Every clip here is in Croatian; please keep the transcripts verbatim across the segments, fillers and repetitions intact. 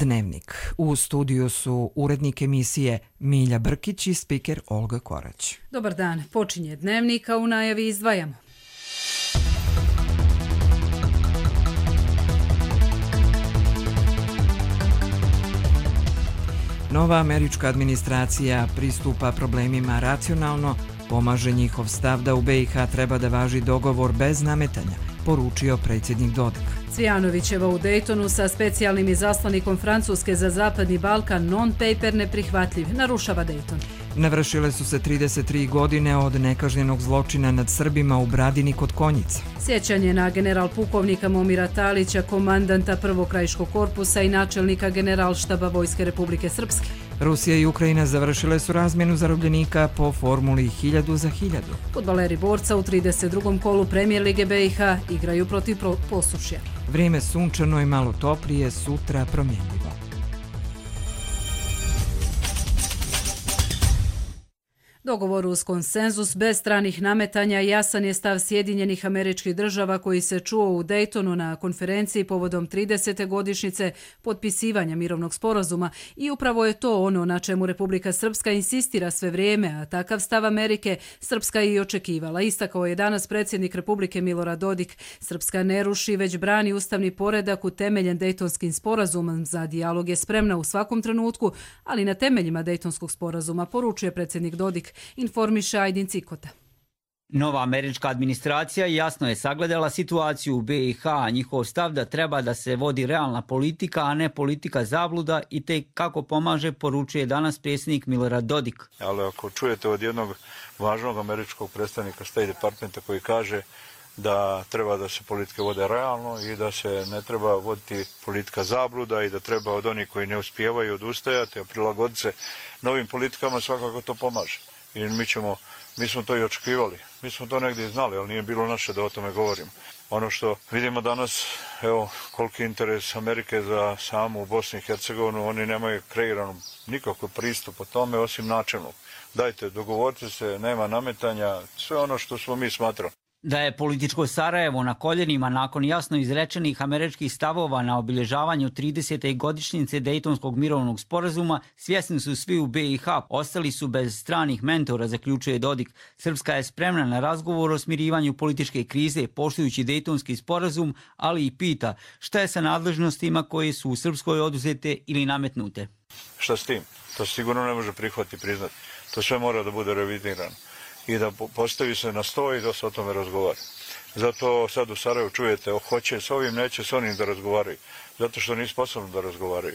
Dnevnik. U studiju su urednik emisije Milja Brkić i spiker Olga Korać. Dobar dan, počinje Dnevnik, a u najavi izdvajamo. Nova američka administracija pristupa problemima racionalno, pomaže njihov stav da u B i H treba da važi dogovor bez nametanja, poručio predsjednik Dodik. Cvijanovićeva u Daytonu sa specijalnim izaslanikom Francuske za Zapadni Balkan non-paper neprihvatljiv, narušava Dayton. Navršile su se trideset tri godine od nekažnjenog zločina nad Srbima u Bradini kod Konjica. Sjećanje na general pukovnika Momira Talića, komandanta prvog krajiškog korpusa i načelnika generalštaba Vojske Republike Srpske. Rusija i Ukrajina završile su razmjenu zarobljenika po formuli hiljadu za hiljadu. Fudbaleri borca u trideset drugom kolu Premijer Lige B i H igraju protiv Posušja. Vrijeme sunčano i malo toplije, sutra promjenjivo. Dogovor uz konsenzus bez stranih nametanja jasan je stav Sjedinjenih Američkih Država koji se čuo u Daytonu na konferenciji povodom tridesete godišnjice potpisivanja mirovnog sporazuma i upravo je to ono na čemu Republika Srpska insistira sve vrijeme, a takav stav Amerike Srpska je i očekivala. Istakao je danas predsjednik Republike Milorad Dodik. Srpska ne ruši, već brani ustavni poredak utemeljen Daytonskim sporazumom. Za dijalog je spremna u svakom trenutku, ali na temeljima Daytonskog sporazuma, poručuje predsjednik Dodik. Informiše Ajdin Cikota. Nova američka administracija jasno je sagledala situaciju u B i H, a njihov stav da treba da se vodi realna politika, a ne politika zabluda i te kako pomaže, poručuje danas predsjednik Milorad Dodik. Ali ako čujete od jednog važnog američkog predstavnika State Departmenta koji kaže da treba da se politike vode realno i da se ne treba voditi politika zabluda i da treba od onih koji ne uspijevaju odustajati, a prilagoditi se novim politikama, svakako to pomaže. I mi ćemo, mi smo to i očekivali. Mi smo to negdje znali, ali nije bilo naše da o tome govorimo. Ono što vidimo danas, evo, koliki interes Amerike za samu Bosnu i Hercegovinu, oni nemaju kreiranu nikakav pristup o tome, osim načelnog. Dajte, dogovorite se, nema nametanja, sve ono što smo mi smatrali. Da je političko Sarajevo na koljenima nakon jasno izrečenih američkih stavova na obilježavanju tridesete godišnjice Dejtonskog mirovnog sporazuma, svjesni su svi u B i H, ostali su bez stranih mentora, zaključuje Dodik. Srpska je spremna na razgovor o smirivanju političke krize, poštujući Dejtonski sporazum, ali i pita šta je sa nadležnostima koje su u Srpskoj oduzete ili nametnute. Šta s tim? To sigurno ne može prihvatiti i priznati. To sve mora da bude revidirano i da postavi se na sto i da se o tome razgovara. Zato sad u Sarajevu čujete, hoće s ovim, neće s onim da razgovaraju. Zato što nisu sposobni da razgovaraju.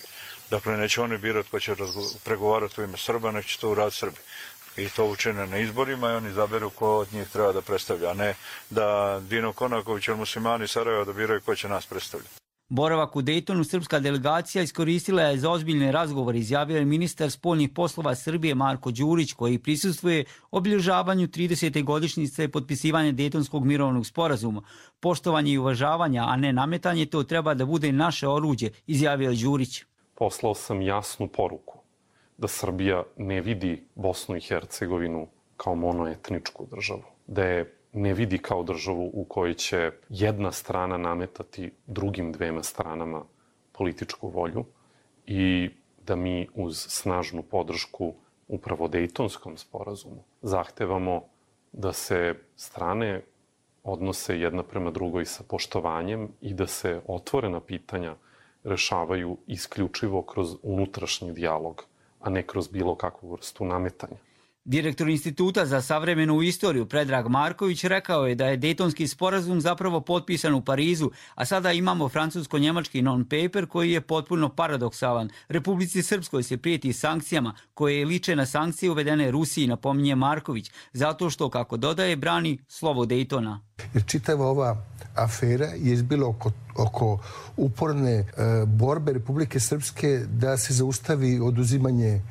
Dakle, neće oni birati ko će pregovarati u ime Srba, nek će to uraditi Srbi. I to učine na izborima i oni izaberu ko od njih treba da predstavlja, a ne da Dino Konaković ili muslimani Sarajeva da biraju ko će nas predstavljati. Boravak u Dejtonu srpska delegacija iskoristila je za ozbiljne razgovore, izjavio je ministar spoljnih poslova Srbije Marko Đurić, koji prisustvuje obilježavanju tridesete godišnjice potpisivanja Dejtonskog mirovnog sporazuma. Poštovanje i uvažavanje, a ne nametanje, to treba da bude naše oruđe, izjavio je Đurić. Poslao sam jasnu poruku da Srbija ne vidi Bosnu i Hercegovinu kao monoetničku državu, da je ne vidi kao državu u kojoj će jedna strana nametati drugim dvema stranama političku volju i da mi uz snažnu podršku upravo Dejtonskom sporazumu zahtevamo da se strane odnose jedna prema drugoj sa poštovanjem i da se otvorena pitanja rešavaju isključivo kroz unutrašnji dijalog, a ne kroz bilo kakvu vrstu nametanja. Direktor Instituta za savremenu istoriju Predrag Marković rekao je da je Dejtonski sporazum zapravo potpisan u Parizu, a sada imamo francusko-njemački non-paper koji je potpuno paradoksalan. Republici Srpskoj se prijeti sankcijama koje liče na sankcije uvedene Rusiji, napominje Marković, zato što, kako dodaje, brani slovo Dejtona. Jer čitava ova afera je izbila oko, oko uporne e, borbe Republike Srpske da se zaustavi oduzimanje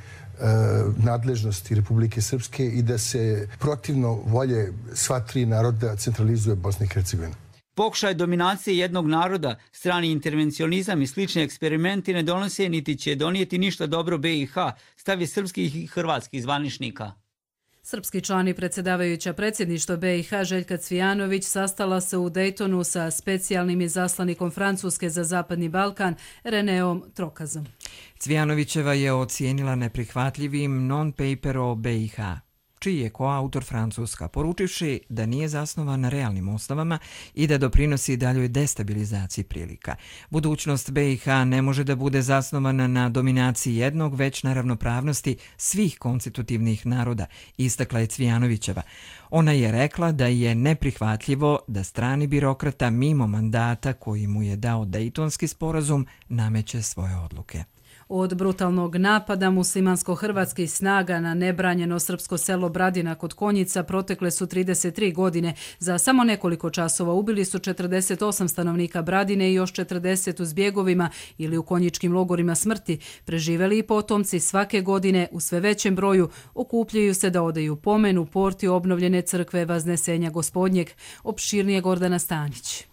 nadležnosti Republike Srpske i da se protivno volje sva tri naroda centralizuje Bosna i Hercegovina. Pokušaj dominacije jednog naroda, strani intervencionizam i slični eksperimenti ne donose niti će donijeti ništa dobro B i H, stav je srpskih i hrvatskih zvaničnika. Srpski član i predsjedavajuća predsjedništva B i H Željka Cvijanović sastala se u Daytonu sa specijalnim izaslanikom Francuske za Zapadni Balkan Reneom Trokazom. Cvijanovićeva je ocijenila neprihvatljivim non-paper o B i H, čiji je koautor Francuska, poručivši da nije zasnovan na realnim osnovama i da doprinosi daljoj destabilizaciji prilika. Budućnost B i H ne može da bude zasnovana na dominaciji jednog, već na ravnopravnosti svih konstitutivnih naroda, istakla je Cvijanovićeva. Ona je rekla da je neprihvatljivo da strani birokrata mimo mandata koji mu je dao Dejtonski sporazum nameće svoje odluke. Od brutalnog napada muslimansko-hrvatskih snaga na nebranjeno srpsko selo Bradina kod Konjica protekle su trideset tri godine. Za samo nekoliko časova ubili su četrdeset osam stanovnika Bradine i još četrdeset u zbjegovima ili u konjičkim logorima smrti. Preživeli i potomci svake godine u sve većem broju okupljaju se da odaju pomen u porti obnovljene crkve Vaznesenja Gospodnjeg. Opširnije Gordana Stanić.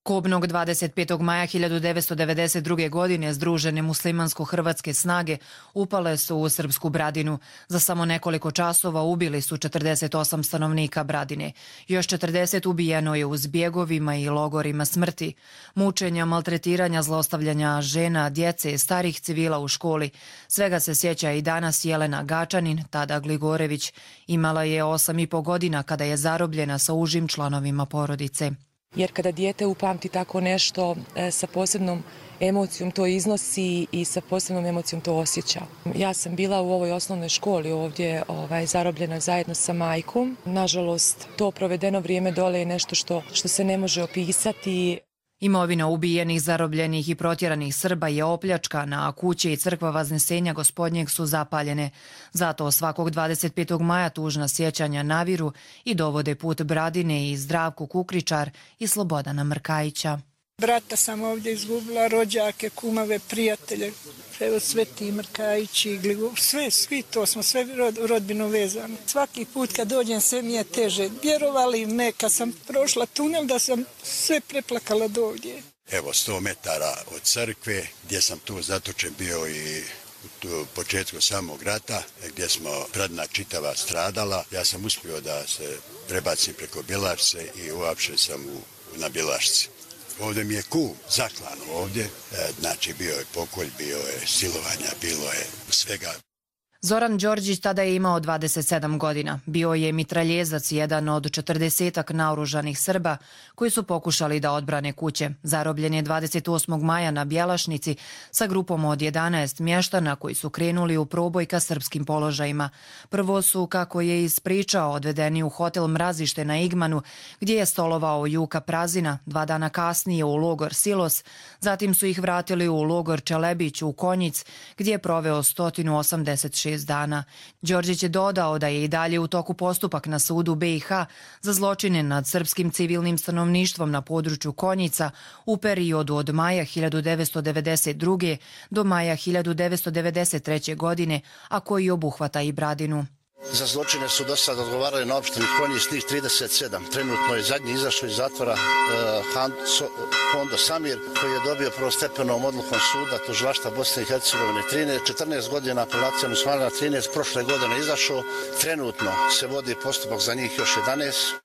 Kobnog dvadeset petog maja hiljadu devetsto devedeset druge. godine združene muslimansko-hrvatske snage upale su u srpsku Bradinu. Za samo nekoliko časova ubili su četrdeset osam stanovnika Bradine. Još četrdeset ubijeno je u zbjegovima i logorima smrti. Mučenja, maltretiranja, zlostavljanja žena, djece, starih civila u školi. Svega se sjeća i danas Jelena Gačanin, tada Gligorević. Imala je osam i po godina kada je zarobljena sa užim članovima porodice. Jer kada dijete upamti tako nešto, sa posebnom emocijom to iznosi i sa posebnom emocijom to osjeća. Ja sam bila u ovoj osnovnoj školi ovdje ovaj, zarobljena zajedno sa majkom. Nažalost, to provedeno vrijeme dole je nešto što, što se ne može opisati. Imovina ubijenih, zarobljenih i protjeranih Srba je opljačkana, a kuće i crkva Vaznesenja Gospodnjeg su zapaljene. Zato svakog dvadeset petog maja tužna sjećanja naviru i dovode put Bradine i Zdravku Kukričar i Slobodana Mrkajića. Brata sam ovdje izgubila, rođake, kumave, prijatelje, evo Sveti Mrkajići, sve, svi to smo sve rod, rodbino vezani. Svaki put kad dođem sve mi je teže. Vjerovali ne, kad sam prošla tunel da sam sve preplakala do ovdje. Evo sto metara od crkve gdje sam tu zatočen bio i u početku samog rata gdje smo Bradina čitava stradala. Ja sam uspio da se prebacim preko Bjelašce i uapšen sam u, na Bjelašci. Ovdje mi je kum zaklan ovdje, znači bio je pokolj, bio je silovanja, bilo je svega. Zoran Đorđić tada je imao dvadeset sedam godina. Bio je mitraljezac, jedan od četrdesetak naoružanih Srba koji su pokušali da odbrane kuće. Zarobljen je dvadeset osmog maja na Bjelašnici sa grupom od jedanaest mještana koji su krenuli u proboj ka srpskim položajima. Prvo su, kako je ispričao, odvedeni u hotel Mrazište na Igmanu, gdje je stolovao Juka Prazina, dva dana kasnije u logor Silos, zatim su ih vratili u logor Čelebić u Konjic, gdje je proveo sto osamdeset šest dana. Đorđić je dodao da je i dalje u toku postupak na sudu B i H za zločine nad srpskim civilnim stanovništvom na području Konjica u periodu od maja hiljadu devetsto devedeset druge. do maja hiljadu devetsto devedeset treće. godine, a koji obuhvata i Bradinu. Za zločine su do sada odgovarali na opštini Konjic njih trideset sedam. Trenutno je zadnji izašao iz zatvora uh, Hondo Samir, koji je dobio prvostepenom odlukom suda tužilaštva Bosne i Hercegovine četrnaest godina, apelacijom usvajanja trinaest, prošle godine izašao. Trenutno se vodi postupak za njih još jedanaest.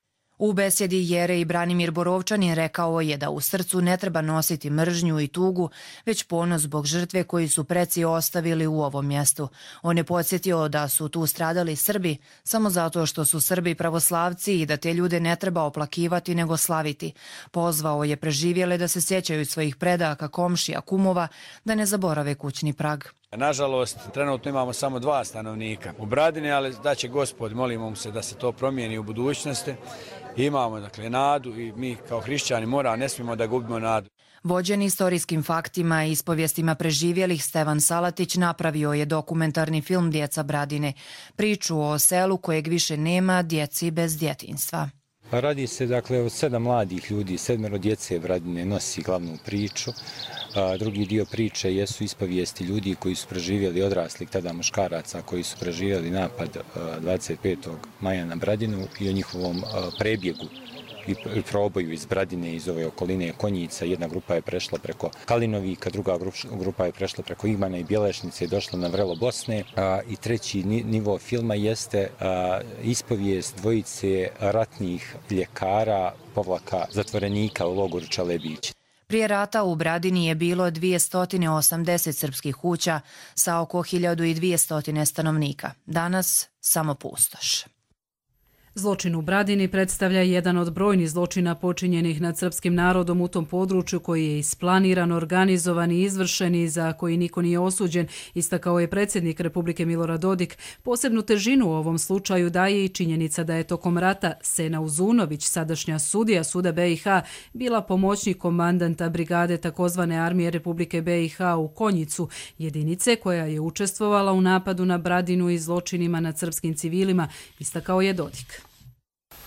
U besjedi Jerej Branimir Borovčanin rekao je da u srcu ne treba nositi mržnju i tugu, već ponos zbog žrtve koji su preci ostavili u ovom mjestu. On je podsjetio da su tu stradali Srbi samo zato što su Srbi pravoslavci i da te ljude ne treba oplakivati nego slaviti. Pozvao je preživjele da se sjećaju svojih predaka, komšija, kumova, da ne zaborave kućni prag. Nažalost, trenutno imamo samo dva stanovnika u Bradini, ali da će Gospod, molimo mu se da se to promijeni u budućnosti. Imamo dakle nadu i mi kao hrišćani mora, ne smijemo da gubimo nadu. Vođen istorijskim faktima i ispovijestima preživjelih, Stevan Salatić napravio je dokumentarni film Djeca Bradine, priču o selu kojeg više nema, djeci bez djetinjstva. Radi se dakle od sedam mladih ljudi, sedmero djece Bradine nosi glavnu priču. A, drugi dio priče jesu ispovijesti ljudi koji su preživjeli, odraslih tada muškaraca koji su preživjeli napad a, dvadeset petog maja na Bradinu i o njihovom a, prebjegu i proboju iz Bradine, iz ove okoline Konjica. Jedna grupa je prešla preko Kalinovika, druga grupa je prešla preko Igmana i Bjelešnice i došla na vrelo Bosne. I treći nivo filma jeste ispovijest dvojice ratnih ljekara povlaka zatvorenika u logoru Čalebić. Prije rata u Bradini je bilo dvjesto osamdeset srpskih kuća sa oko hiljadu dvjesto stanovnika. Danas samo pustoš. Zločin u Bradini predstavlja jedan od brojnih zločina počinjenih nad srpskim narodom u tom području koji je isplaniran, organizovan i izvršen i za koji niko nije osuđen, istakao je predsjednik Republike Milorad Dodik. Posebnu težinu u ovom slučaju daje i činjenica da je tokom rata Sena Uzunović, sadašnja sudija suda B i H, bila pomoćnik komandanta brigade takozvane armije Republike B i H u Konjicu, jedinice koja je učestvovala u napadu na Bradinu i zločinima nad srpskim civilima, istakao je Dodik.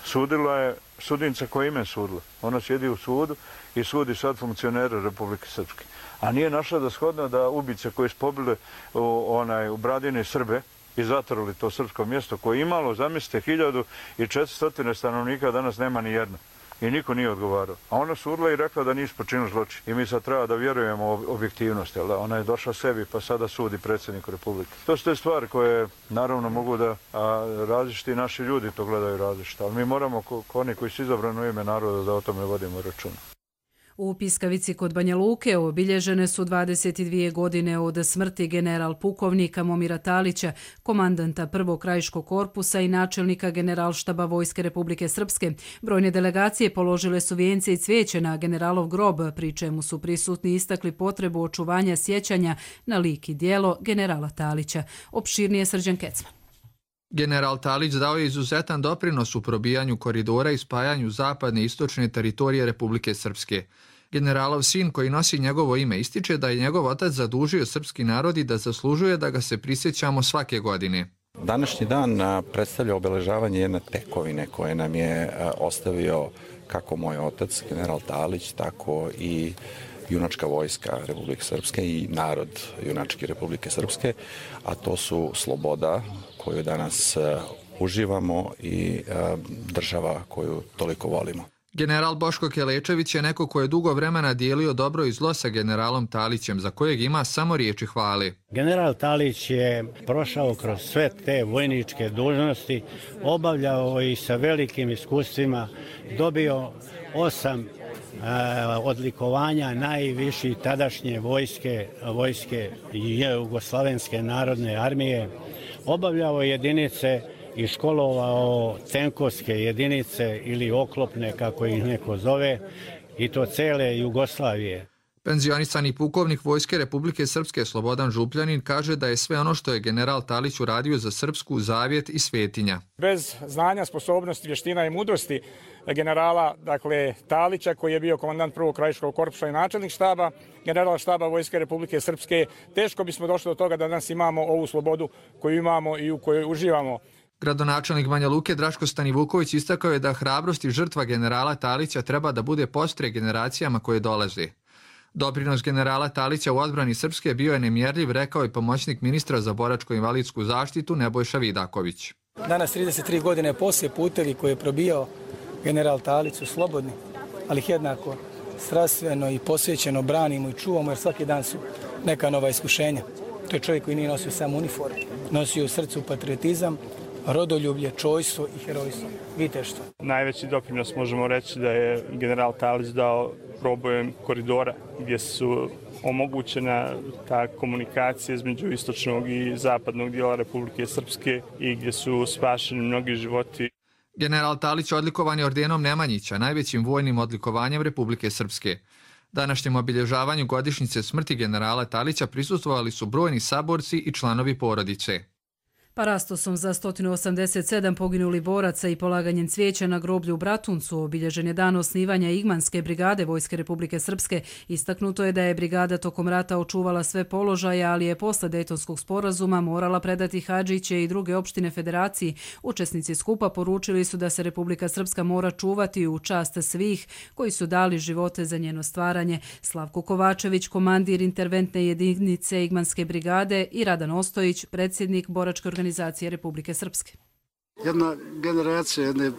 Sudila je sudnica koja ime sudila. Ona sjedi u sudu i sudi sad funkcionere Republike Srpske. A nije našla da shodno da ubice koji su pobile u, onaj, u Bradini Srbe i zatvorili to srpsko mjesto koje je imalo, zamislite, hiljadu i četiristo stanovnika, danas nema ni jedno. I niko nije odgovarao. A ona sudila i rekla da nisu počinili zločin. I mi sad treba da vjerujemo u objektivnost. Jel da? Ona je došla sebi pa sada sudi predsjedniku Republike. To su te stvari koje naravno mogu da a, različiti naši ljudi to gledaju različito. Ali mi moramo, ko, ko oni koji su izabrani u ime naroda, da o tome vodimo računa. U Piskavici kod Banja Luke obilježene su dvadeset dvije godine od smrti general pukovnika Momira Talića, komandanta prvog krajiškog korpusa i načelnika generalštaba Vojske Republike Srpske. Brojne delegacije položile su vijence i cvijeće na generalov grob, pri čemu su prisutni istakli potrebu očuvanja sjećanja na lik i djelo generala Talića. Opširnije Srđan Kecman. General Talić dao je izuzetan doprinos u probijanju koridora i spajanju zapadne i istočne teritorije Republike Srpske. Generalov sin koji nosi njegovo ime ističe da je njegov otac zadužio srpski narod i da zaslužuje da ga se prisjećamo svake godine. Današnji dan predstavlja obeležavanje jedne tekovine koje nam je ostavio kako moj otac, general Talić, tako i junačka vojska Republike Srpske i narod junački Republike Srpske, a to su sloboda koju danas uživamo i država koju toliko volimo. General Boško Kelečević je neko ko je dugo vremena dijelio dobro i zlo sa generalom Talićem, za kojeg ima samo riječi hvale. General Talić je prošao kroz sve te vojničke dužnosti, obavljao i sa velikim iskustvima, dobio osam odlikovanja najviših tadašnje vojske, vojske Jugoslavenske narodne armije, obavljao jedinice i školovao tenkovske jedinice ili oklopne, kako ih neko zove, i to cele Jugoslavije. Penzionisani pukovnik Vojske Republike Srpske Slobodan Župljanin kaže da je sve ono što je general Talić uradio za Srpsku zavjet i svetinja. Bez znanja, sposobnosti, vještina i mudrosti generala dakle, Talića, koji je bio komandant prvog krajiškog korpusa i načelnik štaba, generala štaba Vojske Republike Srpske, teško bismo došli do toga da danas imamo ovu slobodu koju imamo i u kojoj uživamo. Gradonačelnik Banja Luke Draško Stanivuković istakao je da hrabrost i žrtva generala Talića treba da bude postre generacijama koje dolaze. Doprinos generala Talića u odbrani Srpske bio je nemjerljiv, rekao je pomoćnik ministra za boračko-invalidsku zaštitu Nebojša Vidaković. Danas trideset tri godine poslije putevi koje je probijao general Talić su slobodni, ali ih jednako strastveno i posvećeno branimo i čuvamo jer svaki dan su neka nova iskušenja. To je čovjek koji nije nosio samo uniformu, nosio u srcu patriotizam, rodoljublje, čojstvo i herojstvo, viteštvo. Najveći doprinos možemo reći da je general Talić dao probojem koridora gdje su omogućena ta komunikacija između istočnog i zapadnog dijela Republike Srpske i gdje su spašeni mnogi životi. General Talić odlikovan je ordenom Nemanjića, najvećim vojnim odlikovanjem Republike Srpske. Današnjem obilježavanju godišnjice smrti generala Talića prisustvovali su brojni saborci i članovi porodice. Parastosom za sto osamdeset sedam poginuli boraca i polaganjem cvijeća na groblju u Bratuncu obilježen je dan osnivanja Igmanske brigade Vojske Republike Srpske. Istaknuto je da je brigada tokom rata očuvala sve položaje, ali je posle Dejtonskog sporazuma morala predati Hadžiće i druge opštine federaciji. Učesnici skupa poručili su da se Republika Srpska mora čuvati u čast svih koji su dali živote za njeno stvaranje. Slavko Kovačević, komandir interventne jedinice Igmanske brigade, i Radan Ostojić, predsjednik boračke organizacije Republike Srpske. Jedna generacija jedne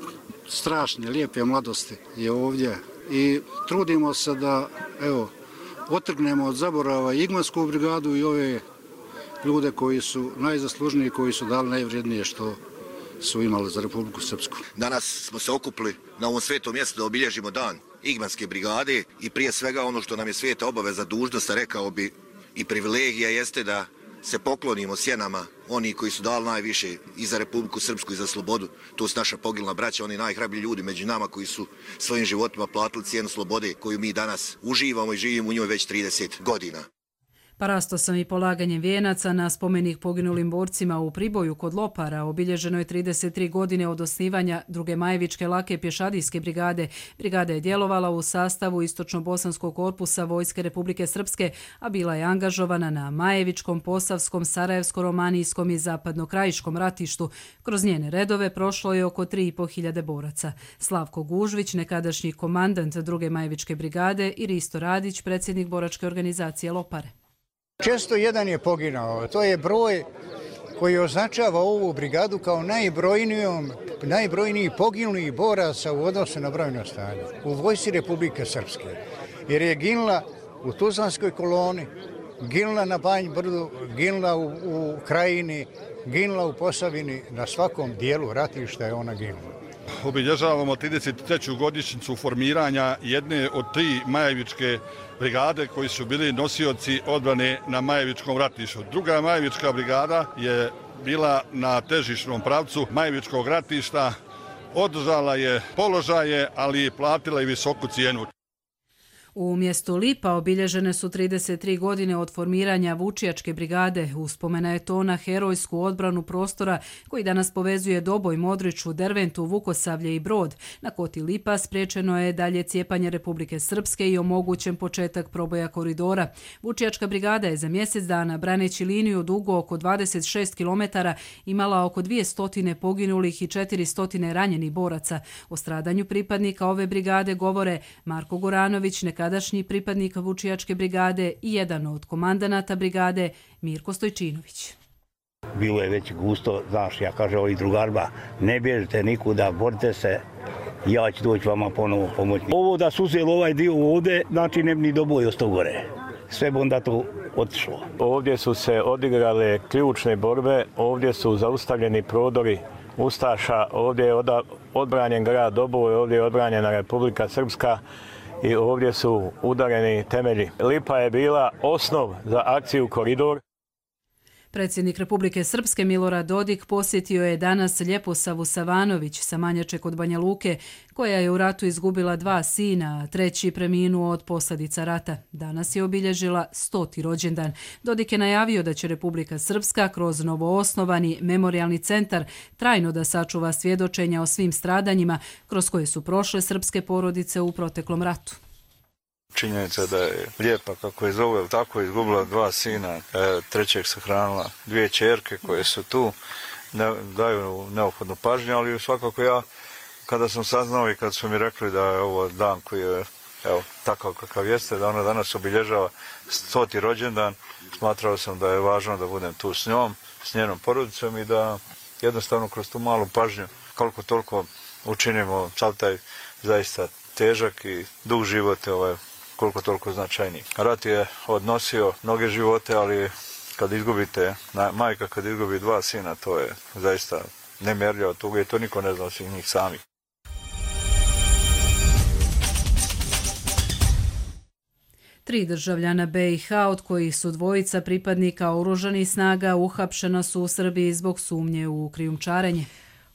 strašne, lijepe mladosti je ovdje i trudimo se da, evo, otrgnemo od zaborava Igmansku brigadu i ove ljude koji su najzaslužniji, koji su dali najvrijednije što su imali za Republiku Srpsku. Danas smo se okupili na ovom svetom mjestu da obilježimo dan Igmanske brigade i prije svega ono što nam je sveta obaveza, dužnost, rekao bi, i privilegija jeste da se poklonimo sjenama oni koji su dali najviše i za Republiku Srpsku i za slobodu. To su naša poginula braća, oni najhrabriji ljudi među nama koji su svojim životima platili cijenu slobode koju mi danas uživamo i živimo u njoj već trideset godina. Parastosom i polaganjem vijenaca na spomenik poginulim borcima u Priboju kod Lopara obilježeno je trideset tri godine od osnivanja druge Majevičke lake pješadijske brigade. Brigada je djelovala u sastavu Istočno-bosanskog korpusa Vojske Republike Srpske, a bila je angažovana na Majevičkom, Posavskom, Sarajevsko-romanijskom i Zapadno-krajiškom ratištu. Kroz njene redove prošlo je oko tri i po hiljade boraca. Slavko Gužvić, nekadašnji komandant druge Majevičke brigade, i Risto Radić, predsjednik boračke organizacije Lopare. Često jedan je poginao. To je broj koji označava ovu brigadu kao najbrojnijom, najbrojniji poginulih boraca u odnosu na brojno stanje u Vojsci Republike Srpske. Jer je ginula u Tuzlanskoj koloni, ginula na Banj Brdu, ginula u, u Krajini, ginula u Posavini, na svakom dijelu ratišta je ona ginula. Obilježavamo trideset treću godišnjicu formiranja jedne od tri Majevičke brigade koji su bili nosioci odbrane na Majevičkom ratištu. Druga Majevička brigada je bila na težišnom pravcu Majevičkog ratišta, održala je položaje, ali platila i visoku cijenu. U mjestu Lipa obilježene su trideset tri godine od formiranja Vučijačke brigade. Uspomena je to na herojsku odbranu prostora koji danas povezuje Doboj, Modriču, Derventu, Vukosavlje i Brod. Na koti Lipa spriječeno je dalje cijepanje Republike Srpske i omogućen početak proboja koridora. Vučijačka brigada je za mjesec dana, braneći liniju dugo oko dvadeset šest kilometara, imala oko dvjesto poginulih i četiristo ranjenih boraca. O stradanju pripadnika ove brigade govore Marko Goranović, neka tadašnji pripadnik Vučijačke brigade, i jedan od komandanata brigade, Mirko Stojčinović. Bilo je već gusto, znaš, ja kaže ovih drugarba, ne bježite nikuda, borite se, ja ću doći vama ponovo pomoći. Ovo da su uzeli ovaj dio ovdje, znači ne bi ni do boja ostao gore. Sve bi onda to otišlo. Ovdje su se odigrale ključne borbe, ovdje su zaustavljeni prodori Ustaša, ovdje je odbranjen grad Doboj, ovdje je odbranjena Republika Srpska i ovdje su udareni temelji. Lipa je bila osnov za akciju Koridor. Predsjednik Republike Srpske Milorad Dodik posjetio je danas Ljeposavu Savanović sa Manjače kod Banja Luke, koja je u ratu izgubila dva sina, a treći preminuo od posljedica rata. Danas je obilježila stoti rođendan. Dodik je najavio da će Republika Srpska kroz novoosnovani memorijalni centar trajno da sačuva svjedočenja o svim stradanjima kroz koje su prošle srpske porodice u proteklom ratu. Činjenica da je Lijepa, kako je zove, tako je izgubila dva sina, trećeg sahranila dvije ćerke koje su tu, ne, daju neophodnu pažnju, ali svakako ja, kada sam saznao i kad su mi rekli da je ovo dan koji je, evo, takav kakav jeste, da ona danas obilježava stoti rođendan, smatrao sam da je važno da budem tu s njom, s njenom porodicom i da jednostavno kroz tu malu pažnju, koliko toliko učinimo sav taj zaista težak i dug život, ovaj, koliko toliko značajniji. Rat je odnosio mnoge živote, ali kad izgubite, majka kad izgubi dva sina, to je zaista nemjerljiva tuga i to niko ne zna osim njih samih. Tri državljana B i H, od kojih su dvojica pripadnika oružanih snaga, uhapšena su u Srbiji zbog sumnje u krijumčarenje.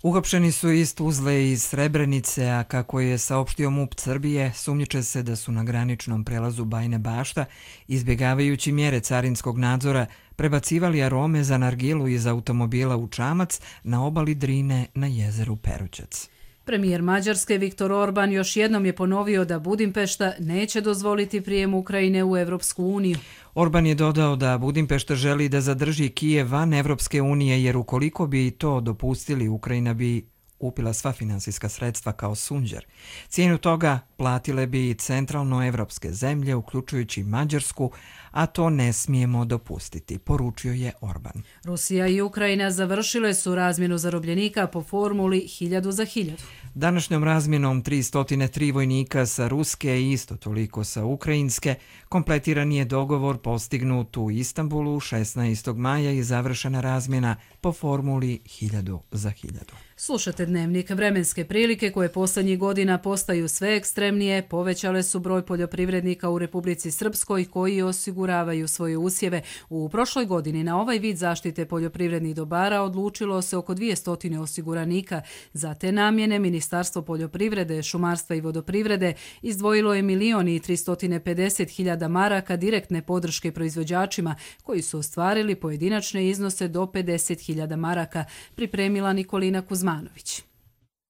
Uhapšeni su iz Tuzle i iz Srebrenice, a kako je saopštio MUP Srbije, sumnjiče se da su na graničnom prelazu Bajine Bašta, izbjegavajući mjere carinskog nadzora, prebacivali arome za nargilu iz automobila u čamac na obali Drine na jezeru Perućac. Premijer Mađarske Viktor Orban još jednom je ponovio da Budimpešta neće dozvoliti prijem Ukrajine u Evropsku uniju. Orban je dodao da Budimpešta želi da zadrži Kijev van Evropske unije, jer ukoliko bi to dopustili, Ukrajina bi upila sva finansijska sredstva kao sunđer. Cijenu toga platile bi centralnoevropske zemlje, uključujući Mađarsku, a to ne smijemo dopustiti, poručio je Orban. Rusija i Ukrajina završile su razmjenu zarobljenika po formuli hiljadu za hiljadu. Današnjom razmjenom tristo tri vojnika sa ruske i isto toliko sa ukrajinske kompletiran je dogovor postignut u Istanbulu šesnaestog maja i završena razmjena po formuli hiljadu za hiljadu. Slušate Dnevnik. Vremenske prilike koje posljednjih godina postaju sve ekstremnije povećale su broj poljoprivrednika u Republici Srpskoj koji osiguravaju svoje usjeve. U prošloj godini na ovaj vid zaštite poljoprivrednih dobara odlučilo se oko dvjesto osiguranika. Za te namjene Ministarstvo poljoprivrede, šumarstva i vodoprivrede izdvojilo je milion i tristo pedeset hiljada maraka direktne podrške proizvođačima koji su ostvarili pojedinačne iznose do pedeset hiljada maraka, pripremila Nikolina Kuzmanović.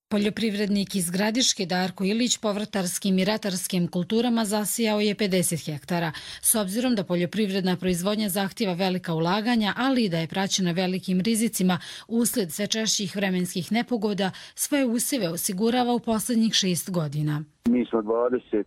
Poljoprivrednik iz Gradiške Darko Ilić povrtarskim i ratarskim kulturama zasijao je pedeset hektara. S obzirom da poljoprivredna proizvodnja zahtjeva velika ulaganja, ali i da je praćena velikim rizicima usled sve češćih vremenskih nepogoda, svoje usjeve osigurava u posljednjih šest godina. Mi smo dvadeset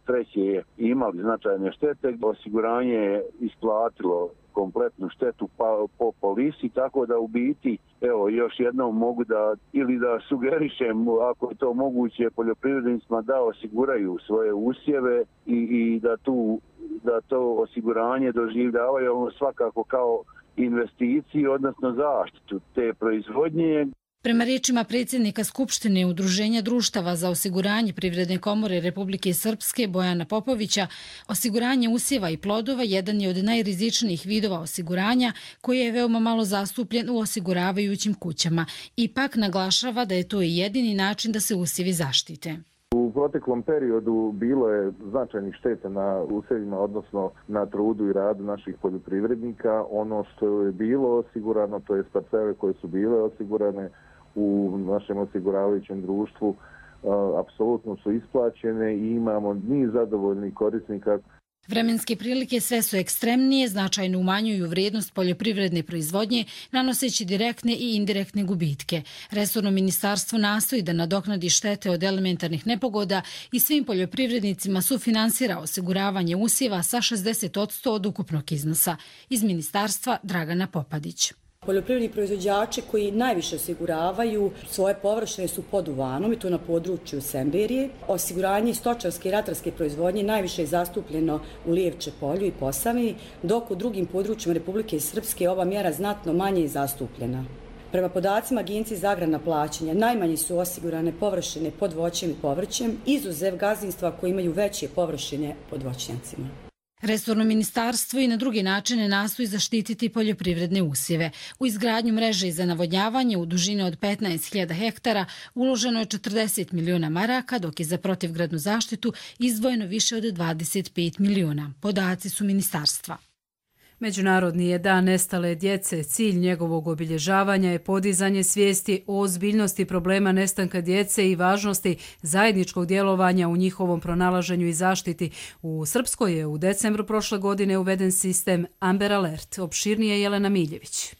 treće imali značajne štete, osiguranje je isplatilo kompletnu štetu po, po polisi, tako da u biti, evo, još jednom mogu da, ili da sugerišem, ako je to moguće, poljoprivrednicima da osiguraju svoje usjeve i, i da, tu, da to osiguranje doživljavaju svakako kao investiciju, odnosno zaštitu te proizvodnje. Prema riječima predsjednika Skupštine Udruženja društava za osiguranje Privredne komore Republike Srpske Bojana Popovića, osiguranje usjeva i plodova jedan je od najrizičnijih vidova osiguranja koji je veoma malo zastupljen u osiguravajućim kućama. Ipak naglašava da je to i jedini način da se usjevi zaštite. U proteklom periodu bilo je značajnih šteta na usjevima, odnosno na trudu i radu naših poljoprivrednika. Ono što je bilo osigurano, to je parcele koje su bile osigurane u našem osiguravajućem društvu, apsolutno su isplaćene i imamo niz zadovoljnih korisnika. Vremenske prilike sve su ekstremnije, značajno umanjuju vrijednost poljoprivredne proizvodnje, nanoseći direktne i indirektne gubitke. Resorno ministarstvo nastoji da nadoknadi štete od elementarnih nepogoda i svim poljoprivrednicima sufinansira osiguravanje usjeva sa šezdeset posto od ukupnog iznosa. Iz ministarstva Dragana Popadić. Poljoprivredni proizvođači koji najviše osiguravaju svoje površine su pod Uvanom i to na području Semberije. Osiguranje stočarske i ratarske proizvodnje najviše je zastupljeno u Lijevče polju i Posavini, dok u drugim područjima Republike Srpske ova mjera znatno manje je zastupljena. Prema podacima Agencije za agrarna plaćanja, najmanje su osigurane površine pod voćem i povrćem, izuzev gazdinstva koji imaju veće površine pod voćnjacima. Resorno ministarstvo i na drugi načine nastoji zaštititi poljoprivredne usjeve. U izgradnju mreže za navodnjavanje u dužini od petnaest hiljada hektara uloženo je četrdeset miliona maraka, dok je za protivgradnu zaštitu izdvojeno više od dvadeset pet miliona. Podaci su ministarstva. Međunarodni je dan nestale djece. Cilj njegovog obilježavanja je podizanje svijesti o ozbiljnosti problema nestanka djece i važnosti zajedničkog djelovanja u njihovom pronalaženju i zaštiti. U Srpskoj je u decembru prošle godine uveden sistem Amber Alert. Opširnije Jelena Miljević.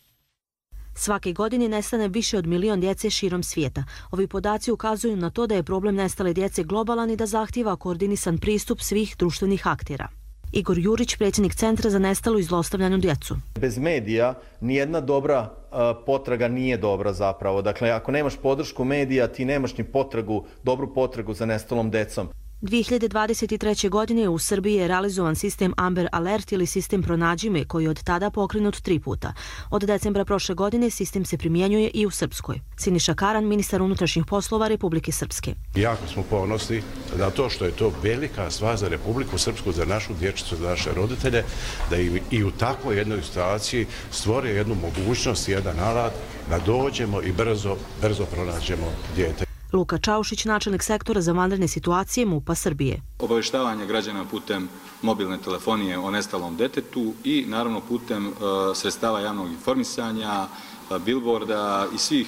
Svake godine nestane više od milion djece širom svijeta. Ovi podaci ukazuju na to da je problem nestale djece globalan i da zahtijeva koordinisan pristup svih društvenih aktera. Igor Jurić, predsjednik Centra za nestalu i zlostavljanu djecu. Bez medija nijedna dobra uh, potraga nije dobra zapravo. Dakle, ako nemaš podršku medija, ti nemaš ni potragu, dobru potragu za nestalom decom. dvije hiljade dvadeset treće. godine u Srbiji je realizovan sistem Amber Alert ili sistem Pronađi me, koji je od tada pokrenut tri puta. Od decembra prošle godine sistem se primjenjuje i u Srpskoj. Siniša Karan, ministar unutrašnjih poslova Republike Srpske. Jako smo ponosni na to što je to velika stvar za Republiku Srpsku, za našu dječicu, za naše roditelje, da i, i u takvoj jednoj situaciji stvore jednu mogućnost, jedan alat, da dođemo i brzo, brzo pronađemo dijete. Luka Čaušić, načelnik sektora za vanredne situacije MUP-a Srbije. Obavještavanje građana putem mobilne telefonije o nestalom detetu i naravno putem uh, sredstava javnog informisanja, uh, billboarda i svih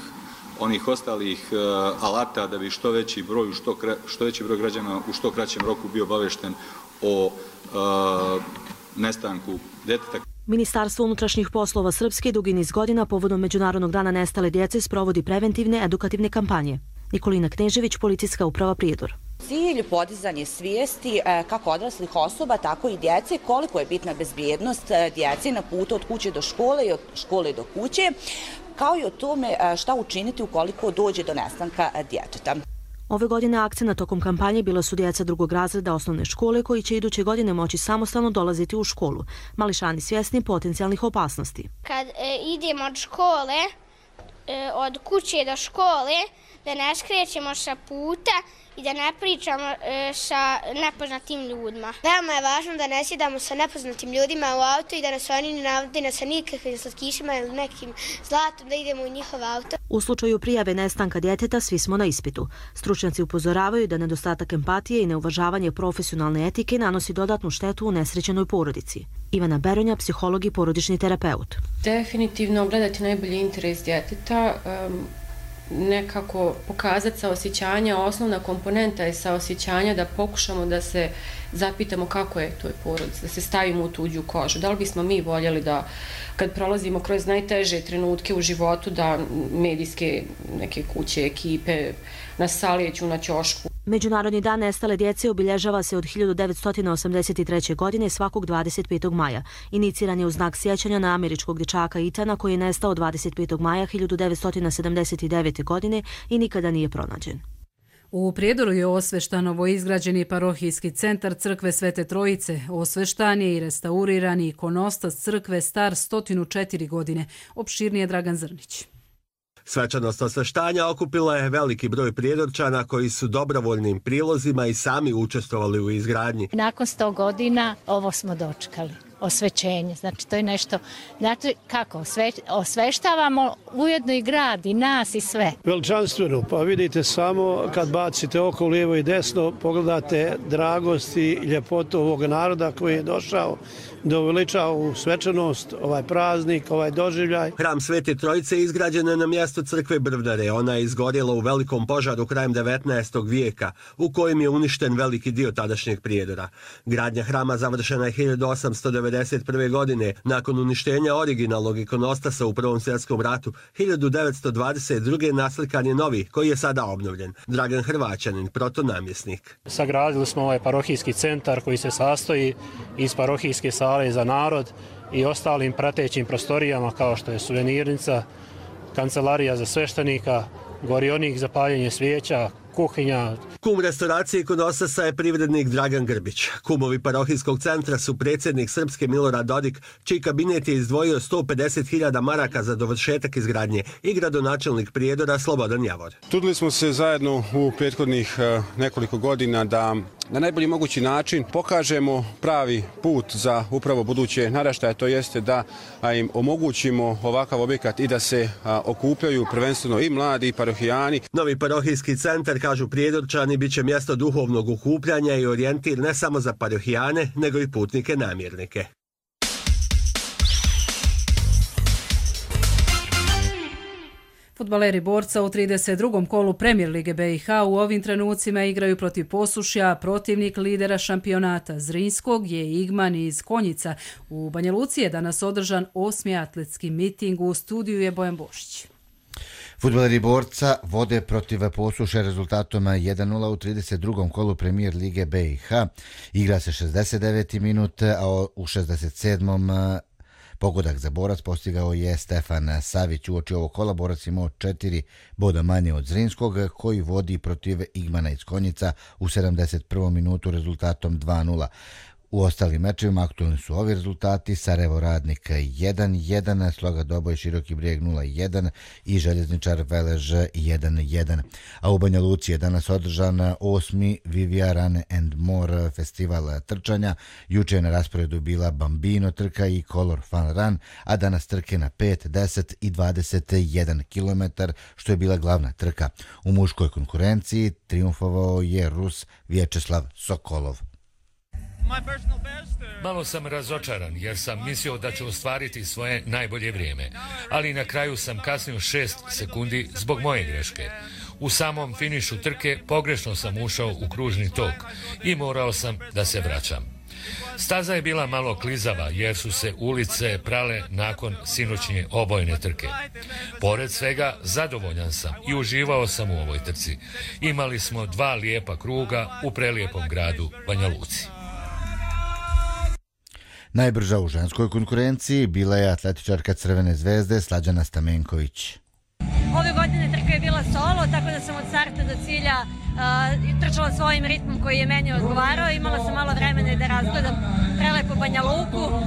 onih ostalih uh, alata da bi što veći broj, što, kre, što veći broj građana u što kraćem roku bio obavješten o uh, nestanku deteta. Ministarstvo unutrašnjih poslova Srpske dugi niz godina povodom Međunarodnog dana nestale djece sprovodi preventivne edukativne kampanje. Nikolina Knežević, policijska uprava Prijedor. Cilj podizanje svijesti kako odraslih osoba, tako i djece, koliko je bitna bezbjednost djece na putu od kuće do škole i od škole do kuće, kao i o tome šta učiniti ukoliko dođe do nestanka djeteta. Ove godine akcena tokom kampanje bila su djeca drugog razreda osnovne škole koji će iduće godine moći samostalno dolaziti u školu. Mališani svjesni potencijalnih opasnosti. Kad e, idemo od škole, e, od kuće do škole, da ne skrećemo sa puta i da ne pričamo e, sa nepoznatim ljudima. Veoma je važno da ne sjedamo sa nepoznatim ljudima u auto i da nas oni ne navode sa nikakvim slatkišima ili nekim zlatom da idemo u njihov auto. U slučaju prijave nestanka djeteta svi smo na ispitu. Stručnjaci upozoravaju da nedostatak empatije i neuvažavanje profesionalne etike nanosi dodatnu štetu u nesrećenoj porodici. Ivana Beronja, psiholog i porodični terapeut. Definitivno gledati najbolji interes djeteta, um, nekako pokazati saosjećanja. Osnovna komponenta je saosjećanja da pokušamo da se zapitamo kako je toj porodici, da se stavimo u tuđu kožu. Da li bismo mi voljeli da kad prolazimo kroz najteže trenutke u životu da medijske neke kuće, ekipe nas salijeću na ćošku. Međunarodni dan nestale djece obilježava se od hiljadu devetsto osamdeset treće. godine svakog dvadeset petog maja. Iniciran je u znak sjećanja na američkog dječaka Itana koji je nestao dvadeset petog maja hiljadu devetsto sedamdeset devete. godine i nikada nije pronađen. U Prijedoru je osveštan novoizgrađeni parohijski centar crkve Svete Trojice. Osveštan je i restaurirani ikonostas crkve star sto četiri godine. Opširnije Dragan Zrnić. Svečanost osveštanja okupila je veliki broj prijedorčana koji su dobrovoljnim prilozima i sami učestvovali u izgradnji. Nakon sto godina ovo smo dočekali. Osvećenje, znači to je nešto, znači kako, osve, osveštavamo ujedno i grad i nas i sve. Veličanstveno, pa vidite samo kad bacite oko lijevo i desno, pogledate dragost i ljepotu ovog naroda koji je došao da uveliča ovu svečanost, ovaj praznik, ovaj doživljaj. Hram Svete Trojice izgrađen je na mjestu crkve Brvnare. Ona je izgorjela u velikom požaru krajem devetnaestog vijeka, u kojem je uništen veliki dio tadašnjeg Prijedora. Gradnja hrama završena je hiljadu osamsto devedeset prve. godine, nakon uništenja originalnog ikonostasa u Prvom svjetskom ratu. hiljadu devetsto dvadeset druge. naslikan je novi, koji je sada obnovljen. Dragan Hrvaćanin, protonamjesnik. Sagradili smo ovaj parohijski centar koji se sastoji iz parohijske sale za narod i ostalim pratećim prostorijama kao što je suvenirnica, kancelarija za sveštenika, gorionik za paljenje svijeća, kuhinja. Kum restauracije ikonostasa je privrednik Dragan Grbić. Kumovi parohijskog centra su predsjednik Srpske Milorad Dodik, čiji kabinet je izdvojio sto pedeset hiljada maraka za dovršetak izgradnje, i gradonačelnik Prijedora Slobodan Javor. Trudili smo se zajedno u prethodnih nekoliko godina da na najbolji mogući način pokažemo pravi put za upravo buduće naraštaje, to jeste da im omogućimo ovakav objekat i da se okupljaju prvenstveno i mladi i parohijani. Novi parohijski centar, kažu Prijedorčani, bit će mjesto duhovnog okupljanja i orijentir ne samo za parohijane, nego i putnike namjernike. Fudbaleri Borca u trideset drugom kolu Premier lige B i H u ovim trenucima igraju protiv Posušja, protivnik lidera šampionata Zrinskog je Igman iz Konjica. U Banja Luci je danas održan osmi atletski miting, u studiju je Bojan Bošić. Fudbaleri Borca vode protiv Posušja rezultatom jedan nula u trideset drugom kolu Premier lige B i H. Igra se šezdeset deveti minut, a u šezdeset sedmom pogodak za Borac postigao je Stefan Savić. Uoči ovog kola Borac imao četiri boda manje od Zrinskog, koji vodi protiv Igmana iz Konjica u sedamdeset prvom minutu rezultatom dva nula. U ostalim mečevima aktualni su ovi rezultati: Sarajevo Radnik jedan jedan, Sloga Doboj Široki Brijeg nula jedan i Željezničar Velež jedan jedan. A u Banja Luci je danas održan osmi Vivia Run and More festival trčanja. Juče je na rasporedu bila Bambino trka i Color Fun Run, a danas trke na pet, deset i dvadeset jedan kilometar, što je bila glavna trka. U muškoj konkurenciji triumfovao je Rus Vječeslav Sokolov. Malo sam razočaran jer sam mislio da ću ostvariti svoje najbolje vrijeme, ali na kraju sam kasnio šest sekundi zbog moje greške. U samom finišu trke pogrešno sam ušao u kružni tok i morao sam da se vraćam. Staza je bila malo klizava jer su se ulice prale nakon sinoćnje obojne trke. Pored svega, zadovoljan sam i uživao sam u ovoj trci. Imali smo dva lijepa kruga u prelijepom gradu Banja Luci. Najbrža u ženskoj konkurenciji bila je atletičarka Crvene zvezde Slađana Stamenković. Ove godine trka je bila solo, tako da sam od starta do cilja uh, trčala svojim ritmom koji je meni odgovarao. Imala sam malo vremena i da razgledam prelepo Banja Luku. Uh,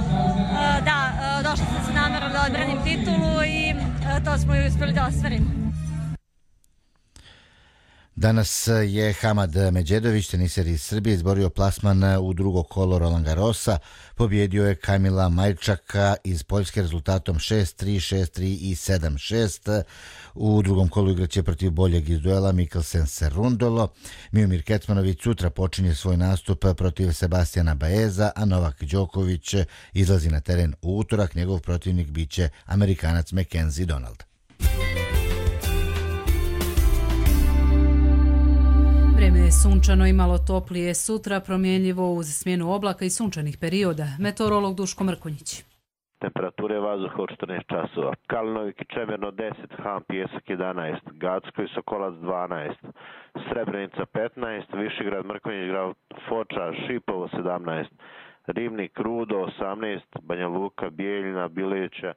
da, uh, došla sam sa namerom da odbranim titulu i uh, to smo i uspjeli da ostvarimo. Danas je Hamad Međedović, teniser iz Srbije, izborio plasman u drugo kolo Roland Garrosa. Pobjedio je Kamila Majčaka iz Poljske rezultatom šest tri, šest tri i sedam šest. U drugom kolu igraće protiv boljeg iz duela Mikkelsen Cerundolo. Miomir Kecmanović sutra počinje svoj nastup protiv Sebastijana Baeza, a Novak Đoković izlazi na teren u utorak. Njegov protivnik biće Amerikanac Mackenzie Donald. Vreme je sunčano i malo toplije, sutra promjenljivo uz smjenu oblaka i sunčanih perioda. Meteorolog Duško Mrkonjić. Temperature vazduha od četrnaest časova. Kalinovik i Čemerno deset, Ham Pjesak jedanaest, Gacko i Sokolac dvanaest, Srebrenica petnaest, Višegrad, Mrkonjić Grad, Foča, Šipovo sedamnaest, Ribnik, Rudo osamnaest, Banja Luka, Bijeljina, Bileća,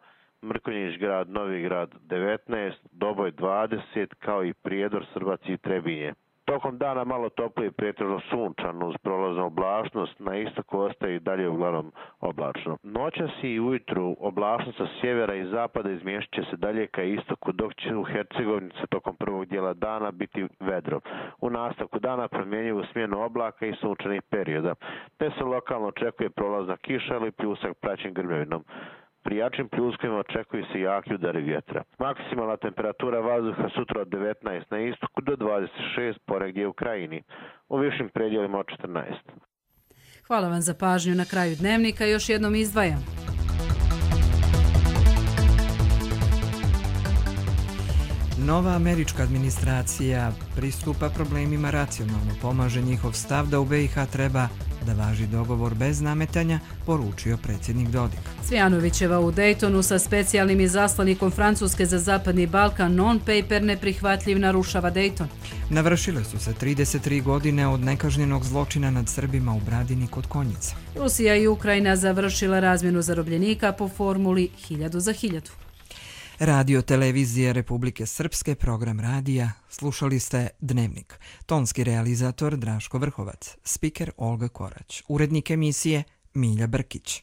Mrkonjić Grad, Novi Grad devetnaest, Doboj dvadeset, kao i Prijedor, Srbac i Trebinje. Tokom dana malo toplije, pretežno sunčano uz prolaznu oblačnost, na istoku ostaje i dalje uglavnom oblačno. Noćas i ujutru oblačnost sa sjevera i zapada izmještit će se dalje ka istoku, dok će u Hercegovini tokom prvog dijela dana biti vedro. U nastavku dana promjenjivu smjenu oblaka i sunčanih perioda, te se lokalno očekuje prolazna kiša ili pljusak praćen grmljavinom. Pri jačim pljuskovima očekuju se jaki udari vjetra. Maksimalna temperatura vazduha sutra od devetnaest na istoku do dvadeset šest ponegdje u krajini. U višim predjelima od četrnaest. Hvala vam za pažnju. Na kraju dnevnika još jednom izdvajam. Nova američka administracija pristupa problemima racionalno, pomaže njihov stav da u B i H treba da važi dogovor bez nametanja, poručio predsjednik Dodik. Cvijanovićeva u Daytonu sa specijalnim izaslanikom Francuske za Zapadni Balkan non-paper neprihvatljiv narušava Dayton. Navršile su se trideset tri godine od nekažnjenog zločina nad Srbima u Bradini kod Konjica. Rusija i Ukrajina završila razmjenu zarobljenika po formuli hiljadu za hiljadu. Radio televizije Republike Srpske, program radija, slušali ste Dnevnik. Tonski realizator Draško Vrhovac, spiker Olga Korać, urednik emisije Milja Brkić.